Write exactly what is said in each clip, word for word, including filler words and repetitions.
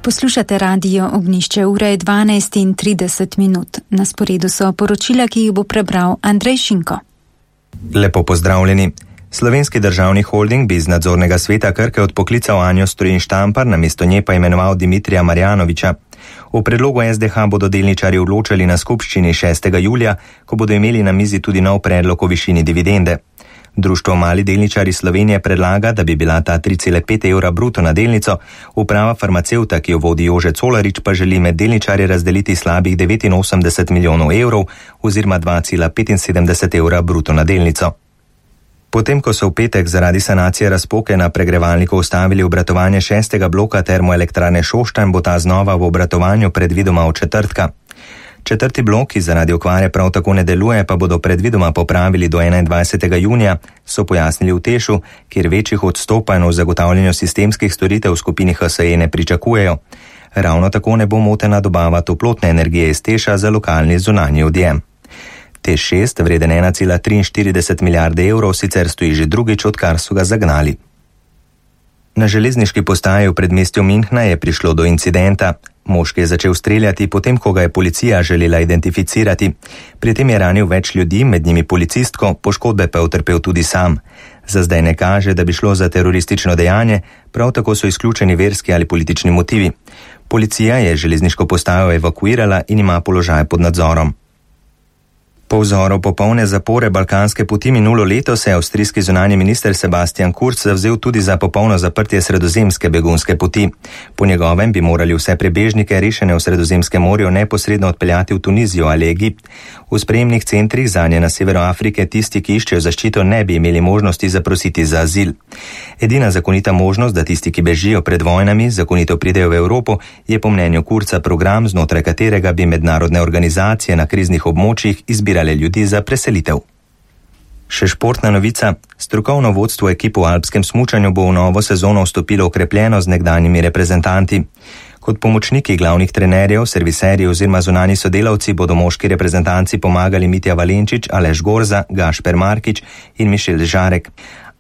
Poslušate radio Ognjišče, ura je dvanajst in trideset minut. Na sporedu so poročila, ki jih bo prebral Andrej Šinko. Lepo pozdravljeni. Slovenski državni holding bi iz nadzornega sveta Krke odpoklical Anjo Strojin Štampar, namesto nje pa imenoval Dimitrija Marjanovića. V predlogu S D H bodo delničarji odločali na skupščini šestega julija, ko bodo imeli na mizi tudi nov predlog o višini dividende. Društvo Mali delničarji Slovenije predlaga, da bi bila ta tri cela pet evra bruto na delnico, uprava farmacevta, ki jo vodi Jože Colarič, pa želi med delničarje razdeliti slabih devetinosemdeset milijonov evrov oziroma dva cela petinsedemdeset evra bruto na delnico. Potem, ko so v petek zaradi sanacije razpoke na pregrevalniku ustavili obratovanje šestega bloka termoelektrarne Šoštanj, bo ta znova v obratovanju predvidoma od četrtka. Četrti blok, ki zaradi okvare prav tako ne deluje, pa bodo predvidoma popravili do enaindvajsetega junija, so pojasnili v Tešu, kjer večjih odstopanj v zagotavljanju sistemskih storitev v skupini H S E ne pričakujejo. Ravno tako ne bo motena dobava toplotne energije iz Teša za lokalni zunanji odjem. Teš šest, vreden ena cela triinštirideset milijarde evrov, sicer stoji že drugič, odkar so ga zagnali. Na železniški postaji v predmestju Münchna je prišlo do incidenta. Moški je začel streljati, potem ko ga je policija želela identificirati. Pri tem je ranil več ljudi, med njimi policistko, poškodbe pa je utrpel tudi sam. Za zdaj ne kaže, da bi šlo za teroristično dejanje, prav tako so izključeni verski ali politični motivi. Policija je železniško postajo evakuirala in ima položaj pod nadzorom. Po vzoru popolne zapore balkanske poti minulo leto se je avstrijski zunanji minister Sebastian Kurz zavzel tudi za popolno zaprtje sredozemske begunske poti. Po njegovem bi morali vse prebežnike rešene v Sredozemskem morju neposredno odpeljati v Tunizijo ali Egipt. V sprejemnih centrih zanje na severu Afrike tisti, ki iščejo zaščito, ne bi imeli možnosti zaprositi za azil. Edina zakonita možnost, da tisti, ki bežijo pred vojnami, zakonito pridejo v Evropo, je po mnenju Kurza program, znotraj katerega bi mednarodne organizacije na kriznih območjih izbirale ljudi za preselitev. Še športna novica. Strokovno vodstvo ekipe v alpskem smučanju bo v novo sezono vstopilo okrepljeno z nekdanjimi reprezentanti. Kot pomočniki glavnih trenerjev, serviserji oziroma zunani sodelavci bodo moški reprezentanci pomagali Mitja Valenčič, Aleš Gorza, Gašper Markič in Mišel Žarek.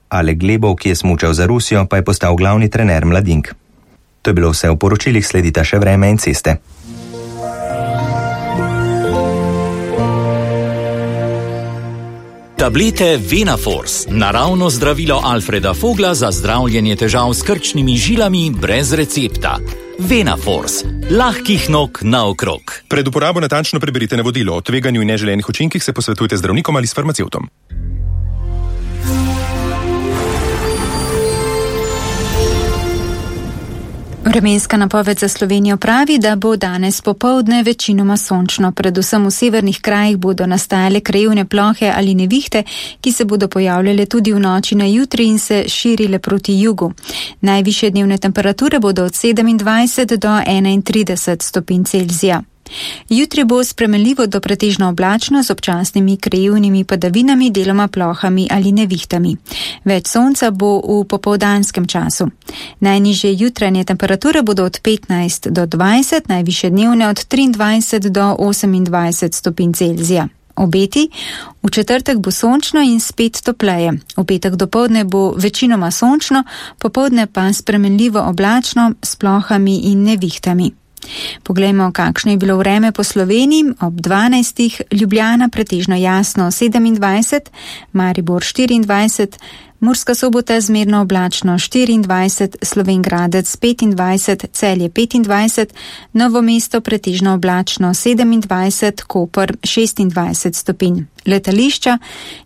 Alek Glebov, ki je smučal za Rusijo, pa je postal glavni trener mladink. To je bilo vse v poročilih, sledita še vreme in ceste. Tablete Venaforce, naravno zdravilo Alfreda Fogla za zdravljenje težav s krčnimi žilami brez recepta. Venaforce, lahkih nog naokrog. Pred uporabo natančno preberite navodilo. O tveganju in neželenih učinkih se posvetujte z zdravnikom ali s farmacevtom. Vremenska napoved za Slovenijo pravi, da bo danes popoldne večinoma sončno. Predvsem v severnih krajih bodo nastajale krajevne plohe ali nevihte, ki se bodo pojavljale tudi v noči na jutri in se širile proti jugu. Najvišje dnevne temperature bodo od sedemindvajset do enaintrideset stopinj Celzija. Jutri bo spremenljivo do pretežno oblačno z občasnimi krajevnimi padavinami, deloma plohami ali nevihtami. Več sonca bo v popoldanskem času. Najnižje jutranje temperature bodo od petnajst do dvajset, najvišje dnevne od triindvajset do osemindvajset stopinj Celzija. Obeti: v četrtek bo sončno in spet topleje. V petek dopoldne bo večinoma sončno, popoldne pa spremenljivo oblačno s plohami in nevihtami. Poglejmo, kakšno je bilo vreme po Sloveniji. Ob dvanajstih Ljubljana pretežno jasno sedemindvajset, Maribor štiriindvajset, Murska Sobota zmerno oblačno štiriindvajset, Slovenj Gradec petindvajset, Celje petindvajset, Novo mesto pretežno oblačno sedemindvajset, Koper šestindvajset stopinj. Letališča: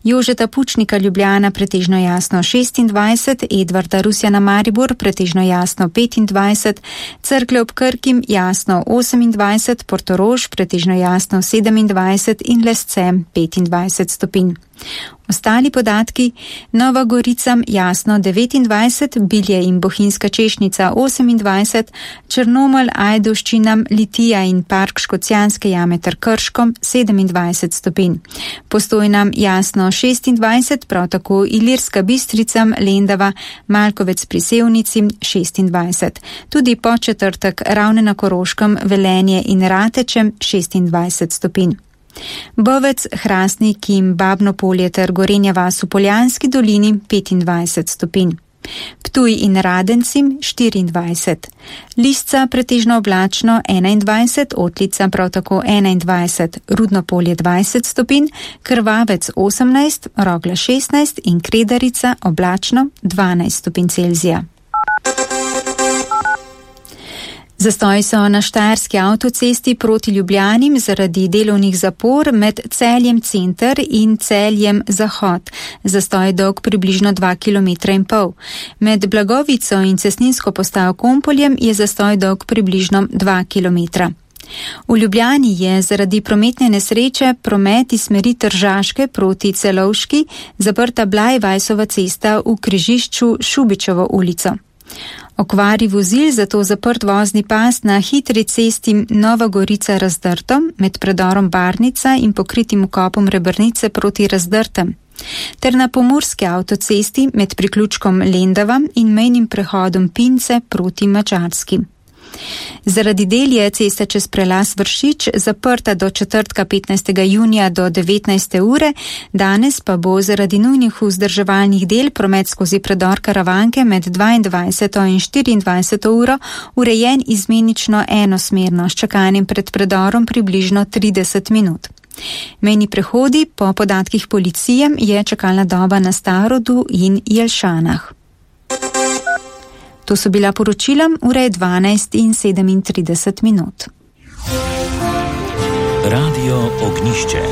Jožeta Pučnika Ljubljana pretežno jasno šestindvajset, Edvarda Rusjana Maribor pretežno jasno petindvajset, Cerklje ob Krkim jasno osemindvajset, Portorož pretežno jasno sedemindvajset in Lesce petindvajset stopinj. Ostali podatki: Nova Gorica jasno devetindvajset, Bilje in Bohinjska Češnica osemindvajset, Črnomelj, Ajdovščina, Litija in Park Škocjanske jame ter Krško sedemindvajset stopinj. Postojna jasno šestindvajset, prav tako Ilirska Bistrica, Lendava, Malkovec pri Sevnici šestindvajset. Tudi po četrtek Ravne na Koroškem, Velenje in Rateče šestindvajset stopinj. Bovec, Hrastnik in Babno Polje ter Gorenja vas v Poljanski dolini petindvajset stopinj. Ptuj in Radencim štiriindvajset, Lisca pretežno oblačno enaindvajset, Otlica prav tako enaindvajset, Rudno Polje dvajset stopinj, Krvavec osemnajst, Rogla šestnajst in Kredarica oblačno dvanajst stopinj Celzija. Zastoji so na Štajerski avtocesti proti Ljubljani zaradi delovnih zapor med Celjem center in Celjem zahod. Zastoj je dolg približno dva kilometra in pol. Med Blagovico in cestninsko postajo Kompoljem je zastoj dolg približno dva kilometra. V Ljubljani je zaradi prometne nesreče promet iz smeri Tržaške proti Celovški zaprta Blajvajsova cesta v križišču Šubičevo ulico. Okvari vozil zato zaprt vozni pas na hitri cesti Nova Gorica Razdrto med predorom Barnica in pokritim vkopom Rebrnice proti Razdrtem, ter na pomurski avtocesti med priključkom Lendava in mejnim prehodom Pince proti Madžarski. Zaradi del je cesta čez prelaz Vršič zaprta do četrtka petnajstega junija do devetnajste ure, danes pa bo zaradi nujnih vzdrževalnih del promet skozi predor Karavanke med dvaindvajseto in štiriindvajseto uro urejen izmenično enosmerno s čakanjem pred predorom približno trideset minut. Mejni prehodi po podatkih policije je čakalna doba na Starodu in Jelšanah. To so bila poročila, ura je dvanajst in sedemintrideset minut. Radio Ognjišče.